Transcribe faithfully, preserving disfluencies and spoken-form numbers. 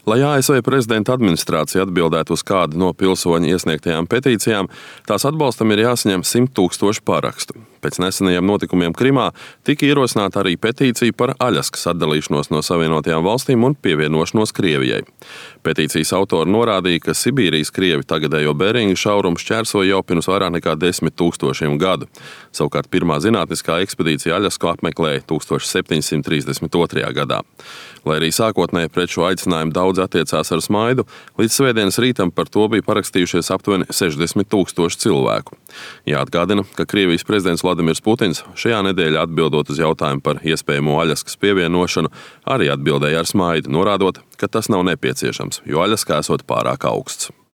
Lai A S V prezidenta administrācija atbildētu uz kādu no pilsoņu iesniegtajām petīcijām, tās atbalstam ir jāsaņem simt tūkstoši parakstu. Pēc nesenajiem notikumiem Krimā tika ierosināta arī petīcija par Aļaskas atdalīšanos no Savienotajām valstīm un pievienošanos Krievijai. Petīcijas autori norādīja, ka Sibīrijas krievi tagadējo Beringa šaurumu šķērsoja jau pirms vairāk nekā desmit tūkstošiem gadu. Savukārt pirmā zinātniskā ekspedīcija Aļasku apmeklēja tūkstoš septiņsimt trīsdesmit otrajā gadā. Lai arī sākotnēji pret šo aicinājumu daudz attiecās ar smaidu, līdz svētdienas rītam par to bija parakstījušies aptuveni sešdesmit tūkstoši cilvēku. Jāatgādina, ka Krievijas prezidents Vladimirs Putins šajā nedēļā atbildot uz jautājumu par iespējamo Aļaskas pievienošanu, arī atbildēja ar smaidu, norādot, ka tas nav nepieciešams, jo Aļaskā esot pārāk augsts.